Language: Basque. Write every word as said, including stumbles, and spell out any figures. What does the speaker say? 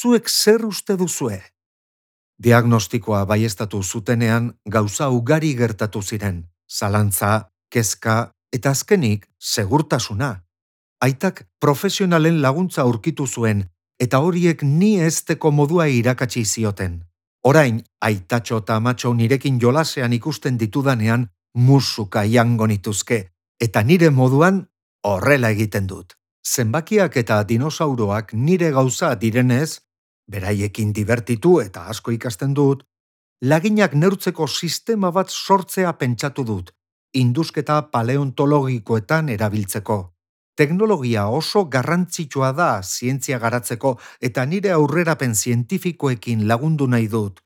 zuek zer uste duzue? Diagnostikoa baieztatu zutenean gauza ugari gertatu ziren, zalantza, kezka eta azkenik segurtasuna. Aitak profesionalen laguntza aurkitu zuen eta horiek ni ezteko modua irakatsi zioten. Orain, aitatxo eta amatxo nirekin jolasean ikusten ditudanean musuka jango nituzke eta nire moduan horrela egiten dut. Zenbakiak eta dinosauroak nire gauza direnez, beraiekin dibertitu eta asko ikasten dut, laginak neurtzeko sistema bat sortzea pentsatu dut, indusketa paleontologikoetan erabiltzeko. Teknologia oso garrantzitsua da zientzia garatzeko eta nire aurrerapen zientifikoekin lagundu nahi dut.